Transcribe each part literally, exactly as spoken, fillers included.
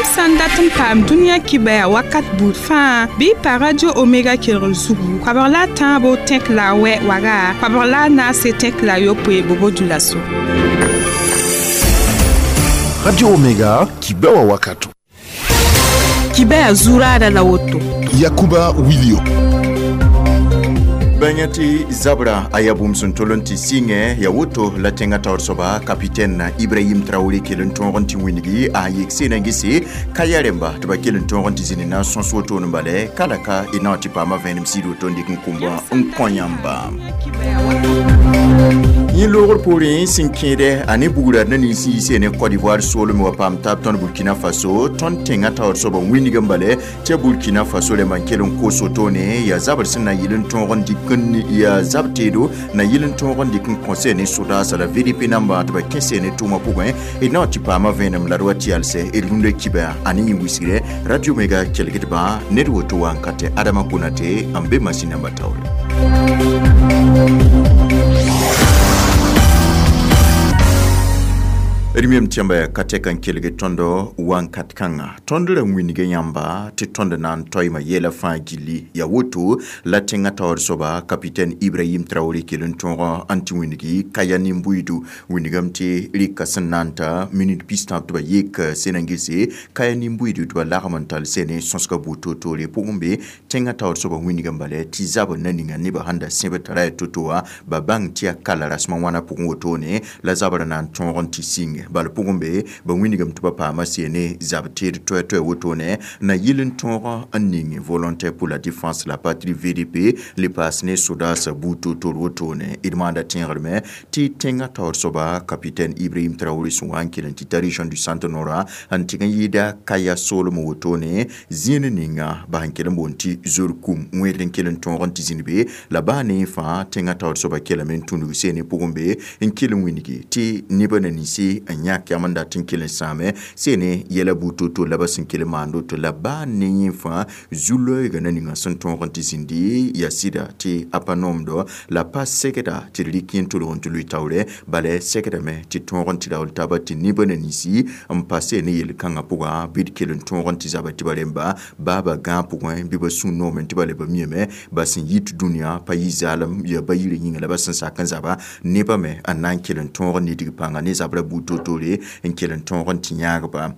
Yãmb sã n dat n paam dũniyã kibaya wakat buud fãa bɩ y pa Radio Omega kelgr zugu koabg la a tãabo tẽk la a wɛ waga koabg la a naase tẽk la a yopoe bobo dulaso. Radio Omega, Kibewa Wakato. Kibaya zuraada la woto. Yakuba Wilio. Bãnga tɩ zabra a yaa bũmb sẽn tol n tɩ sɩngẽ ya woto la tẽngã taoor soaba kapitɛn Ibrahim Traoré kell n tõog n tɩ wĩngi a yek sena n gese kaya rẽmba tɩ ba kell n tõog n tɩ zĩnd na n sõs wotone bala ka la ka d na n tɩ paama vẽenem sɩd woto n dɩk n kũmba n kõ yãmba yẽ loogr poorẽ sẽn kẽede a ne bugra na nins n yiisee ne Côte d'Ivoire soolem wa paam taab tõnd Burkina Faso tõnd tẽngã taoor soaba wĩneg n bala tɩ Burkina Faso rẽmba n kell n kos wotone yaa zabr sẽn na yɩl n tõog n dɩk n yaa zab teedo na yɩl n tõog n dɩk n kõ ne sodaasã la V D P namba tɩ ba kẽse ne tʋʋmã pʋgẽ d na n tɩ paama vẽenem la d wa tɩ yalsɛ d rũndã kiba a ne yẽ wisgre Radio Mega kelgdbã ned woto wa n ka tɩ Adama Konate n be masin namba taoore. D mem tɩ yãmba ka tɛk n kelg tõndo wãnkat kãnga tõnd ra wĩnga yãmba tɩ tõnd na n toɩma yɛla fãa gilli ya woto la tẽngã taoor soaba kapitɛn Ibrahim Traoré kell n tõog n tɩ wĩngi kaya nin-buiidu wĩngame tɩ rɩka sẽn na n ta minit pis-tãab tɩ ba yek sẽn n gese kaya nin-buiidu tɩ ba lagm n tall sene sõsga buud toor-toore pʋgẽ be tẽngã taoor soaba wĩngame bala tɩ zabr na ninga nebã sẽn da sẽb tara yaa to-to wã ba bãng tɩ yaa kala rasmã wãna pʋgẽ wotone la zabr na n tõog n tɩ sɩng bal pʋgẽ be ba wĩnigame tɩ ba paama seene zab teed toɛ-toɛ wotone na yɩl n tõog n ning Volontaire pour la défense la patrie V D P le paas ne sodaasã buud toor-toor wotone d maanda tẽegrme tɩ tẽngã taoor soaba kapitɛn Ibrahim Traoré sẽn wa n kell n tɩ ta région du Centre Nord n tɩg n yɩɩda kaya soolem wotone zĩig ninga ba sẽn kell n boond tɩ zor kum wẽed n kell n tõog n tɩ zĩnd be la baa ne fãa tẽngã taoor soaba kellame n tũnug seene pʋgẽ be n kell n wĩngi tɩ nebã na ninse n yãk yam n dat n kell n sãame seene yɛla buud to-to la ba sẽn kell n maand woto la baa ne yẽ fãa zu-loeegã na ninga sẽn tõog n tɩ zĩndi yaa sɩda tɩ a pa noomdɔ la pa segda tɩ d rɩk yẽ tolg n tɩ lʋɩ taoorɛ bala segdame tɩ tõog n tɩ raool taaba tɩ nebã na ninsi n pa seene yel-kãngã pʋga bɩ d kell n tõog n tɩ zaba tɩ ba rẽmba baa ba gãag pʋgẽ bɩ ba sũ noomẽ tɩ ba le ba miame ba sẽn yit dũniyã pa yɩ zaalem yaa ba yirã yĩnga la ba sẽn sak n zaba nebã me n na n kell n tõog n nidg pãnga ne zabrã buud toor-toore n kell n tõog n tɩ yãagba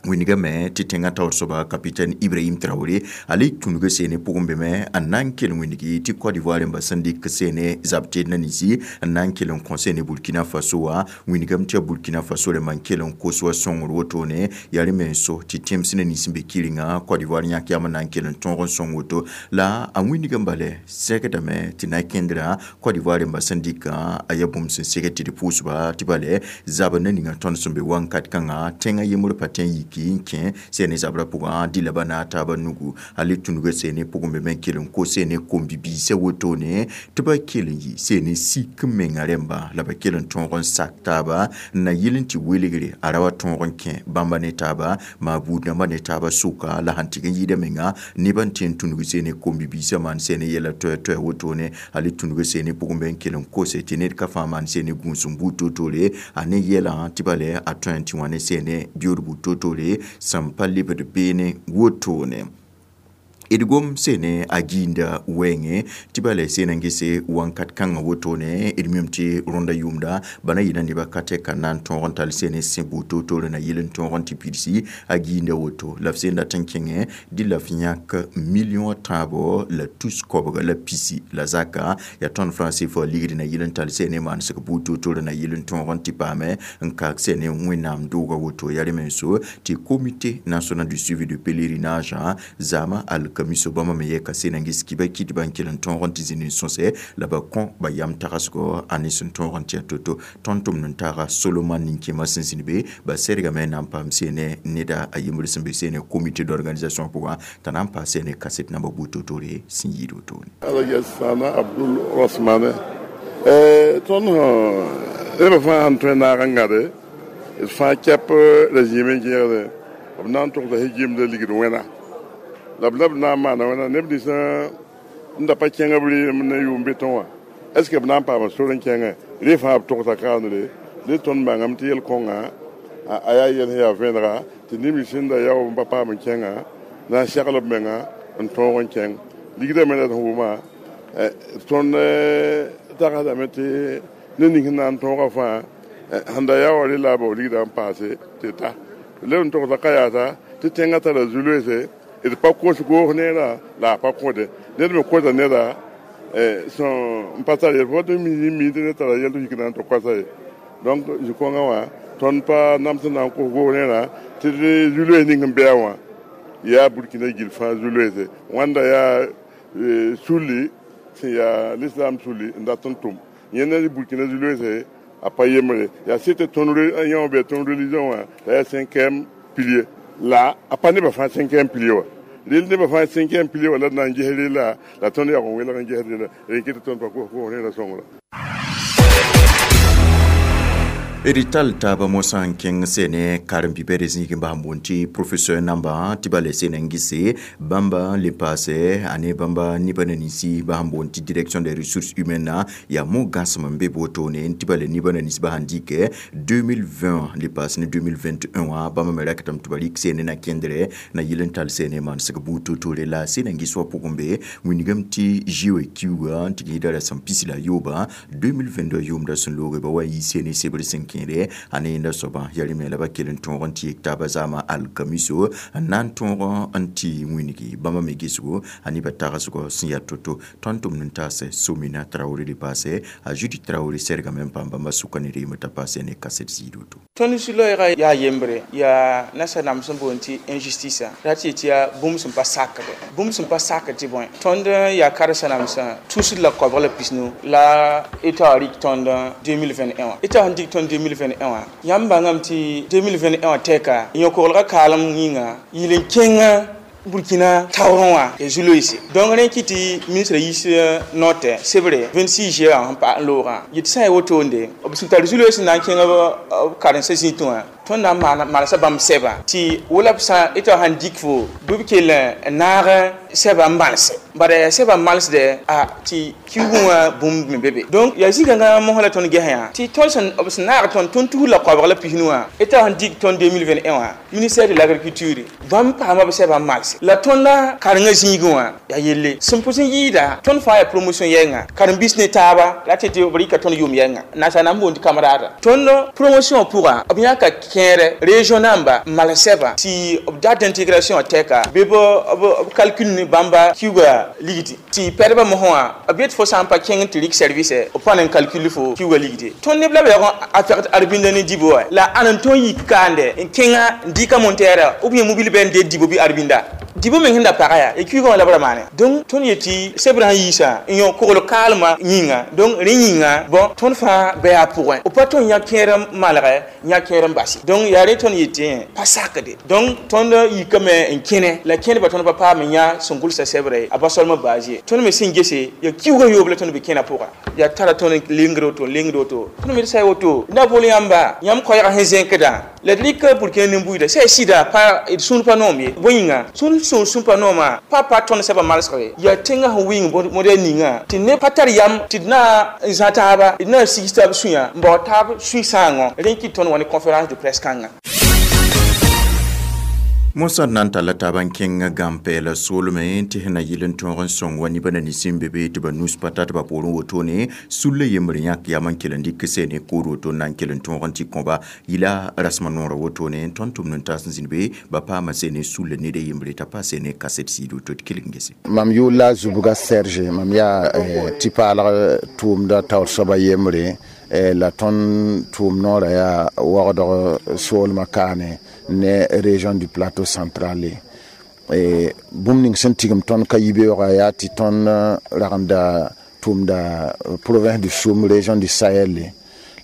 wĩngame tɩ tẽngã taoor soaba kapitɛn Ibrahim Traoré a le tũnug seene pʋgẽ be me n na n kell wĩngi tɩ Côte d'Ivoire rẽmba sẽn dɩk seene zab teed na ninsi n na n kell n kõ seene Burkina Faso wã wĩngame tɩ yaa Burkina Faso rẽmba n kell n kos wa sõngr wotone yaa rẽ me n so tɩ tẽms na nins n be kɩrenga Côte d'Ivoire yãk yam n na n kell n tõog n sõng woto la a wĩngame bala segdame tɩ na kẽndrã Côte d'Ivoire rẽmba sẽn dɩkã a yaa bũmb sẽn seg tɩ d pʋʋsba tɩ bala zabr na ninga tõnd sẽn be wãnkat kãngã tẽngã yembr pa tẽ n yiki n kẽ seene zabrã pʋgã dɩ la ba naag taabã nugu a le tũnuga seene pʋgẽ be me n kell n kos seene kom-bibiisã wotone tɩ ba kell n yɩ seene sik n menga rẽmba la ba kell n tõog n sak taaba n na yɩl n tɩ welgre a ra wa tõog n kẽ bãmba ne taaba maa buud dãmbã ne taabã sʋka la sẽn tɩg n yɩɩda menga nebã n tẽ n tũnug seene kom-bibiisã maan seene yɛla toɛ-toɛ wotone a le tũnuga seene pʋgẽ be n kell n kose tɩ ned ka fãa maan seene gũus n buud toor-toore a ne yɛlã tɩ bala a tõe n tɩ wã ne seene beood buud toor-toore sẽn pa lebd beene wotone d gom seene a gĩinda wɛɛngẽ tɩ bala seen n gese wãnkat kãngã wotone d mim tɩ rõnda yʋʋmda ba na yɩla nebã ka tɛka n na n tõog n tall seene sẽ buud toor-toore na yɩl n tõog n tɩ pidsi a gĩinda woto la f seen dat n kẽngẽ dɩ la f yãk milliõ tãabo la tus koabga la pisi la zaka yaa tõnd franc C F A ligd na yɩl n tall seene maansg buud toor-toore na yɩl n tõog n tɩ paame n kaak seene wẽnnaam dooga woto yaa rẽ me n so tɩ Comité national du suivi du pèlerinage zama alkamiso bãmba me yɛka seen n ges kiba kɩtba n kell n tõog n tɩ zĩnd n sõsɛ la ba kõ ba yam tagsgɔ a ne sẽn tõog n tɩ yaa to-to tõnd tʋmd n taaga Solomon nin-kẽemã sẽn zĩnd be ba sɛrgame na n paam seene neda a yembr sẽn be seene comité d'organisation pʋgã t'a na n paas seene kaset namba buud toor-toore sẽn yɩɩd wotone. Alaji Sana Abdul Osmane eh tõnd neb fãa sẽn tõe naag n gãde d fãa kɛp la zĩim n gẽegde b na n togsa gimda ligd wẽna la b la b na n maana wẽna neb nins n da pa kẽng b rɩɩm ne yʋʋm betẽ wã est ce que b na n paama sor n kẽngẽ rẽ fãa b togsa kaoonre ne tõnd bãngame tɩ yel-kõnga A yaa yɛl sẽn yaa vẽenega tɩ neb nins sẽn da yao n pa paam n kẽnga na n segl b menga n tõog n kẽng ligdã me la d sẽn wʋma tõnd tagsdame tɩ ned ning sẽn na n tõoga fãa sẽn da yaa wa rela la a bao ligdã n paase tɩ ta leb n togsa ka yaasa tɩ tẽngã tara zu-loeese d pa kos goos neerã la a pa kõde ned me kosa neda sẽn pa tar yɛl fo tɩ mi mi tɩ ned tara yɛl tɩ yik na n tɩ koasa ye donc zu-kõngã wã tõnd pa nam sẽn na n kos goos neerã tɩ zu-loees ning sẽn bɩa wã yaa Burkina gill fãa zu-loeese wãnda yaa sulli sẽn yaa l'islam sulli n dat n tʋm yẽnda Burkina zu-loeese a pa yembre yaa sɩd tɩ tõnd yã bɩ tõnd religion wã la yaa cinquième pilier la a pa nebã fãa cinquième pilier wa rel nebã fãa cinquième pilier wa la d na n ges rela la tõnd yag n welg n ges rela rẽ kɩ tɩ tõnd pa kos goos rẽra sõngra. D tall taaba mosã n kẽng sene karen-bi-bɛd zĩig n bas n boond tɩ professeur namba tɩ ba le sena n gese bãmba n le paase a ne bãmba nebã na ninsi bas n boond tɩ direction des ressources humaines yaa mo-gãsem n be wotone tɩ ba le nebã na nins bas n dɩkɛ deux mille vingt le paas ne deux mille vingt et un wã bãmba me rakatame tɩ ba rɩk sene na kẽndrɛ na yɩl n tall sene manesg buud totore la sena n ges wã pʋgẽ be wĩnigame tɩ G O E kiuuga n tɩ gẽeda rasem pis la yooba deux mille vingt-deux yʋʋmda sẽn looge ba wa n yi sene sebr sẽn kẽede a ne yẽnda soabã yaa rẽ me la ba kell n tõog n tɩ yek taabã zaamã alkamiso n na n tõog n tɩ wĩnigi bãmba me gesgo a nebã tagsgɔ sẽn yaa to-to tõnd tʋmd n taasɛ Somina Traoré le paasɛ a Judith Traoré sɛrgame n paam bãmba sʋka ne reemã t'a paasɛ ne kaset ziid woto. Tõnd zu-loɛɛga yaa yembre yaa nasa nam sẽn boond tɩ injustice ra tɩ yet yaa bũmb sẽn pa sakde bũmb sẽn pa sakd tɩ bõe tõnd yaa karsa namsã tusd la koabg la pisnu la État wã rɩk tõnd deux mille vingt et un wã État sẽn dɩk tõnd deux mille vingt et un wã yãmb bãngame tɩ deux mille vingt et un wã tɛka yõ-koglgã kaalem yĩnga yɩl n kẽngã Burkina taoorẽ wã ya zu-loeese donc rẽ kɩ tɩ ministre yiis note sebre vingt-six juillet wã sẽn pa n loogã yetɩ sã n yaa wotonde b sẽn tar zu-loees n na n kẽng b karensã zĩtẽ wã tõnd na n manesa bãmb sɛbã tɩ wala b sã État sãn dɩk fo bɩ b kell n naag sɛbã n malse bala yaa sɛbã n malsdɛ a tɩ kiugẽ wã bũmb me be be donc yaa zĩ-kãngã mosã la tõnd gesã yã tɩ tõnd sẽn b sẽn naag tõnd tõnd tus la koabg la pisnu wã État sẽn dɩk tõnd deux mille vingt et un wã ministère de l'agriculture bãmb paama b sɛbã n malse la tõnda karengã zĩigẽ wã yaa yelle sẽn pʋs n yɩɩda tõnd fãa yaa promotion yɛnga karen-biis ne taaba la tɩ tɩ b rɩka tõnd yʋʋm yɛnga naasa na n boond tɩ camarade tõnd promotion pʋga b yãka kẽere région namba n mals sɛba tɩ b date d'intégration tɛka bɩ b calcul ne bãmba kiuga ligdi tɩ pɛdbã mosã wã b yet fo sã n pa kẽng tɩ rɩk service b pa n calcul fo kiuga ligde tõnd neb la b yaoog a pɛgd arbinda ne dibɔ wa la ãn n tõe n yik kaande n kẽngã n dɩka montɛɛra ou bien mobile bɩ n dee dibɔ bɩ arbinda dibɔ meng sẽn da paga yaa ya kiugã wã la b ra maane donc tõnd yetɩ sebrã sẽn yiisã n yõ kogl kaalmã yĩnga donc rẽ yĩnga bon tõnd fãa bɩ yaa pʋgẽ b pa tõe n yã kẽer n malgɛ n yã kẽer n base donc yaa rẽ tõnd yetɩ pa sakde donc tõnd yikame n kẽne la kẽneba tõnd pa paam n yã sẽn gʋlsa sɛbrɛ a ba solmã base ye tõnd me sẽn gese yaa kiuugã yoob la tõnd be kẽna pʋga yaa tara tõnd lengd woto lengd woto tõnd me d sa woto na bol yãmba yãmb koɛɛgã sẽn zẽkdã la d rɩk Burkina nin-buiida sã y sɩda pa d sũur pa noom ye bõe yĩnga sũur sũur sũur pa noomã pa pa tõnd sɛbã malsg yaa tẽngã sẽn wɩng modɛl ninga tɩ neb pa tar yam tɩ d na n zã taaba d na n sigs taab sũyã n bao taab sũ-sãoongõ rẽ kɩt tõnd wa ne conférence de presse kãngã. Mosã d na n talla taab n kẽng gãn-pɛɛla soolmẽ tɩ sẽn na yɩl n tõog n sõng wa nebã na nins n be be tɩ ba nus pa ta tɩ ba poorẽ wotone sulla yembr yãk yam n kell n dɩk sene kood woto n na n kell n tõog n tɩ kõba yɩla rasmã noorã wotone tõnd tʋmd n taas n zĩnd be ba paama sene sulla ned a yembre t'a pa sene kaset sɩɩd woto tɩ kelg n gese. Mam yʋʋl la Zubga Serge mam yaa tɩ paalg tʋʋmda taoor soaba yembre la tõnd tʋʋm noorã yaa waoogdg soolmã kaane ne région du Plateau central bũmb ning sẽn tigim tõnd ka yibeoogã yaa tɩ tõnd ragenda tʋʋmda province du Soum, région du Sahel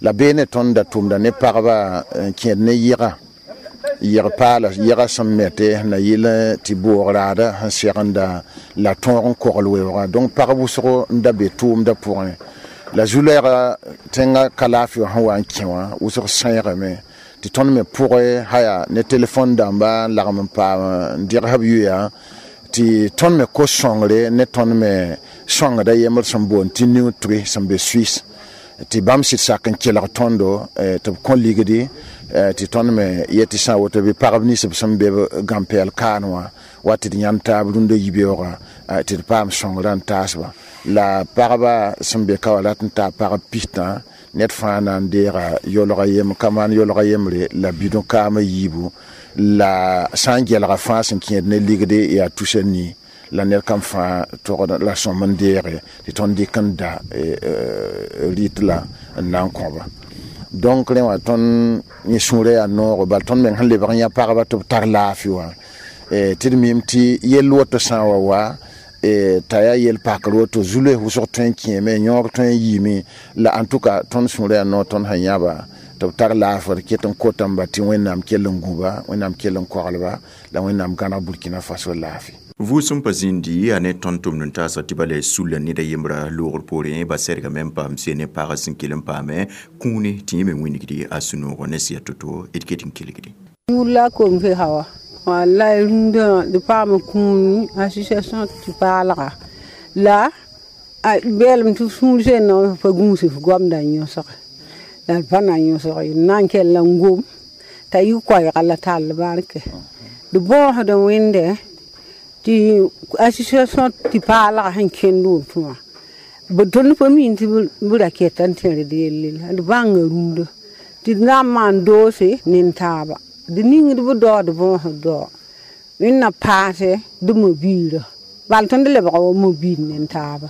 la beene tõnd da tʋʋmda ne pagba n kẽed ne yɩga yɩg paala yɛga sẽn mete na yɩl tɩ boog raada sẽn segenda la tõog n kogl weoogã donc pag wʋsgo n da be tʋʋmda pʋgẽ la zu-loɛɛga tẽngã ka laafɩ wã sẽn wa n kẽ wã wʋsg sẽegame tɩ tõnd me pʋgẽ haya ne telefon dãmba n lagm n paam n dɩgs b yoya tɩ tõnd me kos sõngre ne tõnd me sõngda yembr sẽn boond tɩ Nutri sẽn be Suisse. Tɩ bãmb sɩd sak n kelg tõndo tɩ b kõ ligdi tɩ tõnd me yetɩ sã n woto bɩ pagb nins b sẽn be gãn-pɛɛl kaan wã wa tɩ d yãnd taab rũndã yibeoogã tɩ d paam sõngrã n taasba la pagba sẽn be ka wã rat n taa pagb pistã ned fãa na n deega yolga yem ka maan yolga yembre la bidõ kaamã yiibu la sã n gelga fãa sẽn kẽed ne ligde yaa tusa nii la ned kam fãa togd la sõm n deege tɩ tõnd dɩk n da rɩt la n na n kõba. Donc rẽ wã tõnd yẽ sũurã yaa noogo bal tõnd meng sẽn lebg n yã pagba tɩ b tar laafɩ wã tɩ d mim tɩ yell woto sã n wa wa t'a yaa yel pakr woto zu-loees wʋsg tõe n kẽeme yõog tõe n yiime la en tout cas tõnd sũurã yaa noog tõnd sẽn yãba tɩ b tar laafr ket n kotame tɩ Wẽnnaam kell n gũba Wẽnnaam kell n koglba la Wẽnnaam gãneg Burkina Faso laafɩ. Vʋʋsem pa zĩndi a ne tõnd tʋmd n taasa tɩ ba la sulla ned a yembra loogr poorẽ ba sɛrgame n paam se ne pagã sẽn kell n paame kũune tɩ yẽ me wĩnigdi a sũ-noogã ne sɩ ya to-to d ket n kelgde. Yũur la kom fe hawa wallahi rũndã d paam kũuni association tɩ paalga la beelem tɩ sũur sẽn pa gũus f goamda n yõsge la d pa na n yõsg ye d na n kell n gom t'a yɩ koɛɛga la tall barke d bõosd wẽnde tɩ association tɩ paalga sẽn kẽnd woto wã b tõnd pa mi tɩ b ra keta n tẽred yelle la d bãnga rũndã tɩ d na n maan doose nen-taaba d ningd b daood bõosd dao wẽnna paase d mobiirã bal tõnd lebga wa mobiir nen-taaba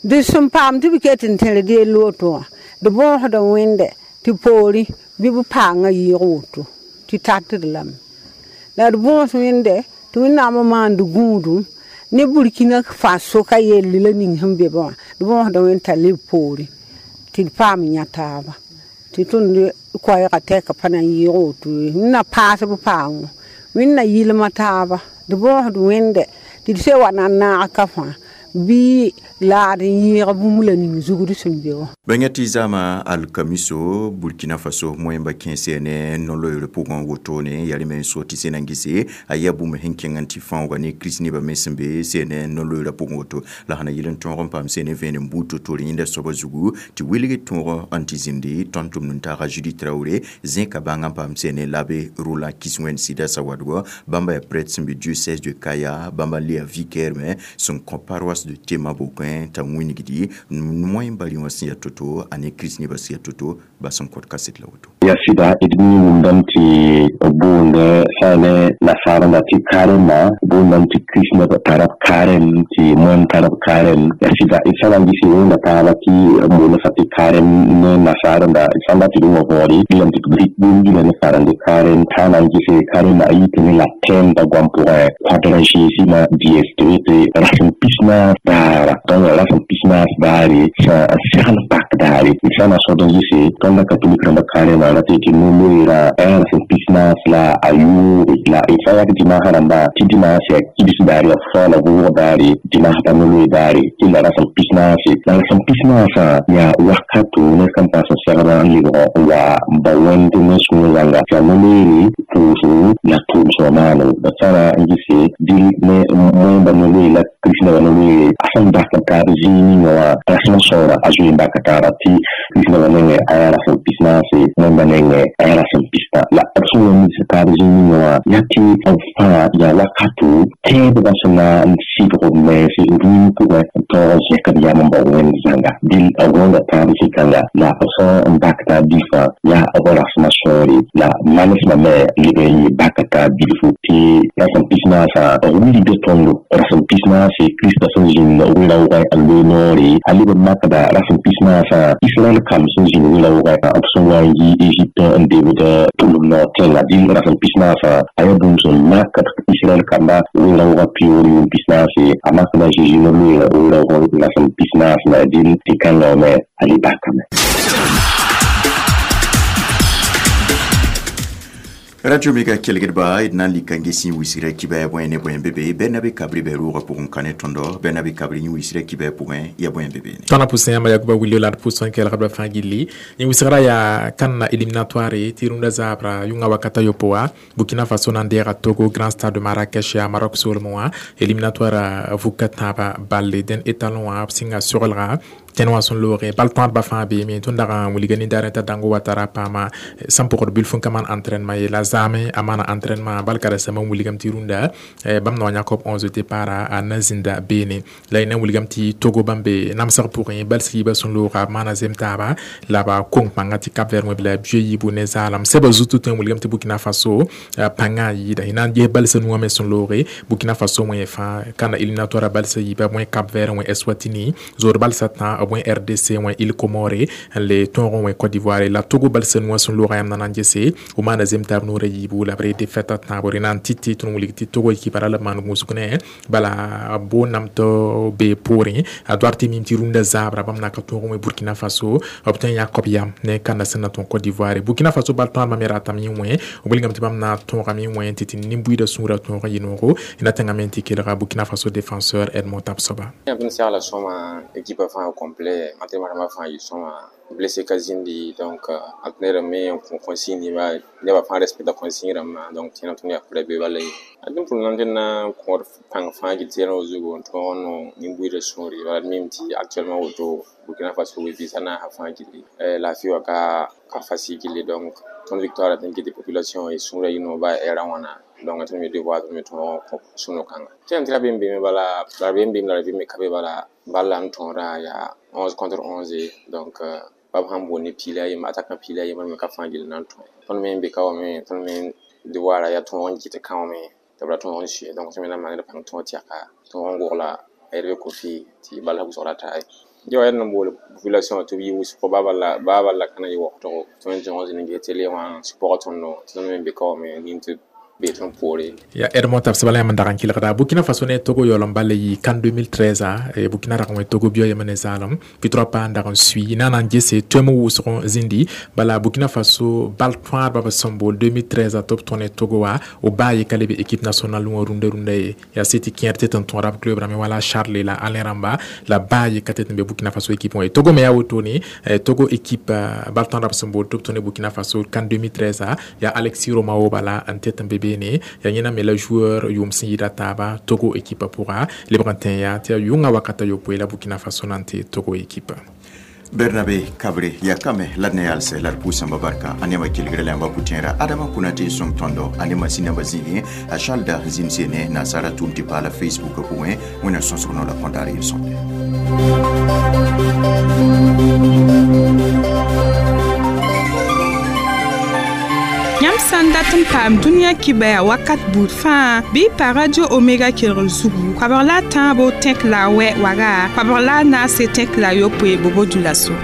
d sẽn paam tɩ b ket n tẽred yell woto wã d bõosd wẽnde tɩ poorẽ bɩ b paangã yɩɩg woto tɩ tatd lame la d bõos wẽnde tɩ Wẽnnaam n maand gũudum ne Burkina Faso ka yelle la ning sẽn be wã d bõosd wẽnd t'a leb poorẽ tɩ d paam yã taaba tɩ tõnd koɛɛgã tɛka pa na n yɩɩg woto ye wẽnna paas b paango wẽnna yɩlma taaba d bõosd wẽnde tɩ d se wa na n naag ka fãa bɩ laad n yɩɩg bũmb la ning zugd sẽn be wã. Bãnga tɩ zama alkamiso Burkina Faso moẽmba kẽese ne no-loeer pʋgẽ wotone yaa rẽ me n so tɩ sẽn na n gese a yaa bũmb sẽn kẽng n tɩ fãooga ne kirist nebã me sẽn be sẽn no-loeerã pʋgẽ woto la sẽn na yɩl n tõog n paam sẽn ne vẽenem buud to-to yẽnda soabã zugu tɩ wilg tõog n tɩ zĩndi tõnd tʋmd n taaga Judi Traoré zẽka bãng n paam sẽn ne l'abbé Roland Kiswen Sida Sawadgo bãmba yaa prêtre sẽn be diocèse de Kaya bãmba n le yaa vicaire me sẽn kõ paroisse de Tema Bokoẽ t'a wĩnigdi moẽmba rẽ wã sẽn yaa to-to a ne kirist nebã sẽn yaa to-to ba sẽn kõt kaset la woto. Ya sɩda d mi wʋmdame tɩ b boond sã ne nasaarã tɩ karema boondame tɩ kirist neb tara b karem tɩ moẽm tara b karem ya sɩda d sã na n gɩse wẽnda taaba tɩ b boonda sã tɩ karem ne nasaarẽnda d sã n dat tɩ d wã võore lame tɩ b rɩk bũmb gila ne karende karem t'a na n gɩse karema a yitame la tẽmda goam pʋgẽ quadragésima dies tɩ wete rasem pis-naas daara donc rasem pis-naas daare sã n segl pak daare d sã na sod n gɩse tõnd katolik rãmba karema ra tɩ tɩ no-loeerã rasem pis-naas la a yoobe la d sã n yak dimaasã rãmba tɩ dimaas yaa kibs daare yaa faoola vʋʋg daare dimaas pa no-loe daare tɩ la rasem pis-naase la rasem pis-naasã yaa wakato ned kam paas n segda n lebg n wa n ba wẽnd ne sũur zãnga tɩ yaa no-loeere pʋʋsgo la tʋʋm-sõma maano ba sã n gɩse dɩl ne moẽmba no-loe la kirist nebã no-loeere a sẽn bak n taab zĩig ninga wã rasem sõora a zoe n baka taaba tɩ kirist nebã nengẽ a yaa rasem pis-naase moẽmba nengẽ a yaa rasem pistã la b sẽn wa mis taab zĩig ninga wã yaa tɩ b fãa yaa wakato tẽedbã sẽn na n sɩdg b mens rũim pʋgẽ n taoog n zẽk b yam n bao wẽnd zãnga dɩl b wẽnda taab zĩ-kãnga la b sẽn n bak taab bilfã yaa b rasmã sõore la manesmã me leb n yɩ baka taab bilfu tɩ rasem pis-naasã b wilgda tõndo rasem pis-naase Kiristã sẽn zĩnd wɩ-raoogẽ n loe noore a leb n makda rasem pis-naasã Israɛl kam sẽn zĩnd wɩ-raoogẽ b sẽn wa n yi Egypte n debd tʋlem noor tẽnga dɩl rasem pis-naasã a yaa bũmb sẽn makd Israɛl kamba wɩ-raoogã pioor yʋʋm pis-naase a makda Zeezi no-loeerã wɩ-raoogã rasem pis-naas la dɩl tɩ kãngã me a le bakame. Radio Mega kelgdba d na n lika n ges yẽ wisgrã kibɛɛ bõe ne bõe be be bɛna be kabri bɛ roogã pʋgẽ ka ne tõndo bɛna be kabri yẽ wisgrã kibɛɛ pʋgẽ ya bõe be beene. Tõnd na pʋsẽ yãmba Yakuba Wilio la d pʋs n kelgdba fãa gilli yẽ wisgrã yaa kãnna éliminatoire tɩ rũndã zaabra yʋngã wakata yopo wã Burkina Faso na n deega Togo Grand Stade de Marrakech yaa Maroc soolmẽ wã éliminatoire vuka tãabã balle dẽn étalon wã b sɩnga sogelga Tẽn wã sẽn looge bal tõadbã fãa beeme tõnd dag n wilga nin-daar t'a dãngo wa tara paama sẽn pʋgd bilf n ka maan entraînement ye la zaame a maana entraînement bal karen-saambã n wilgame tɩ rũndã bãmb nao yãk b onze départ a na zĩnda beene la y na n wilgame tɩ Togo bãmb be namsg pʋgẽ bal yiibã sẽn looga b maana zem taaba la ba kong pãnga tɩ Cap Vert wẽ la bia yiibu ne zaalem sɛba zutu tõe n wilgame tɩ Burkina Faso pãngã yɩɩda y na n ges balsã nuwã me sẽn looge Burkina Faso wẽ fãa kãna éliminatoire balsã yiiba wẽ Cap Vert wẽ Eswatini zood balsã tã b wẽ R D C wẽ Île Comore n le tõog n wẽ Côte d'Ivoire la Togo balsã nuwã sẽn looga yãmb na n gese b maana zem taab noorã yiibu la b ree défaite a tãabo rẽ na n tɩ tɩ tõnd wilg tɩ Togo ekipa ra la b maan gũusg ne bala boonnam tɩ bee poorẽ a doar tɩ mim tɩ rũndã zaabra bãmb na ka tõog n wẽ Burkina Faso b tõe n yãk b yam ne kanda sẽn na tõog Côte d'Ivoire. Burkina Faso bal tõadmã me ratame n wẽ b wilgame tɩ bãmb na tõogame n wẽ tɩ tɩ nin-buiidã sũurã tõog n yɩ noogo na tẽngame tɩ kelga Burkina Faso défenseur Edmond Tapsoba. Tõnd segla sõma équipe fãa complet, entraînement rãmbã fãa yɩ sõma, blessé ka zĩndi, donc entraîneur me n kõ consigne ba nebã fãa respecta consigne rãmbã, donc tẽna tõnd yaa pʋra be bala ye d pʋr na tɩ na kõod pãng fãa gill tɩ yɛlg zugu n tõog n no nin-buiidã sũuri bala d mim tɩ actuellement woto Burkina Faso we vɩɩsã naasã fãa gilli laafɩ wã ka ka facile gilli, donc tõnd victoire tɩ n kɩ tɩ population y sũurã yɩ no ba ɛɛrã wãna, donc tõnd me devoir tõnd me tõog kõ sũ-no-kãnga tɩ tɩ ra be n beeme bala la be n beem la ra vɩ me ka be bala bal la n tõoda yaa onze contre onze, donc bab sãn boond ne piila a yembr attaquant piila a yembr me ka fãa gill na n tõe tõnd me n be ka wã me tõnd me devoir yaa tõog n kɩt kão me tɩ b ra tõog n sue, donc tõnd me na n maan d pãng tõog tɛka tõog n gogla Hervé Kofi tɩ bal wʋsg ra taa ye wa n bool population tɩ b yɩ wʋsgo baa bala baa bala ka na yɩ waoogdo tõnd tõog n zĩnd n ges télé wã sɩpg tõndo tɩ tõnd me be ka wã me nin tɩ be tõnd poore. Ya Edmond Tapsoba la yãmb n dag n kelgda. Burkina Faso ne Togo yaool n bal yɩ CAN deux mille treize a Burkina rag n wẽ Togo bio yema ne zaalem victoire pa n dag n sui na na n gese tõem wʋsg zĩndi bala Burkina Faso bal tõadba b sẽn bool deux mille treize a tɩ b tõe ne Togo wa o baa ye ka lebe équipe nationale wã rũndã rũndã ye yaa sɩ tɩ kẽer tɩ tɩ n tõora b club rãmbe wala Charles la Alain rãmba la baa ye ka tɩ tɩ n be Burkina Faso équipe wã ye. Togo me yaa wotone Togo équipe bal tõadba b sẽn bool tɩ b tõe ne Burkina Faso CAN deux mille treize a yaa Alexis Romao bala n tɩ tɩ n be beene yaa yẽna me la joueur yʋʋm sẽn yɩɩda taaba Togo équipe pʋga lebg n tẽ yaa tɩ yaa yʋngã wakata yopoe la Burkina Faso na n tɩ Togo équipe. Bernabe Kabre ya kame la d ne yalsɛ la d pʋʋsãmba barka a nema kelgre la yãmba pʋtẽera Adama Konate sõng tõndo a ne masĩnã zĩigẽ a Chalda zĩmse ne nasaara tʋʋm tɩ paala Facebook pʋgẽ wẽna sõsg no la kõndaar yel-sõmde. Yãmb sã n dat n paam dũniyã kibaya wakat buud fãa bɩ y pa Radio Omega kelgr zugu koabg la a tãabo tẽk la a wɛ waga koabg la a naase tẽk la a yopoe bobo dulaso.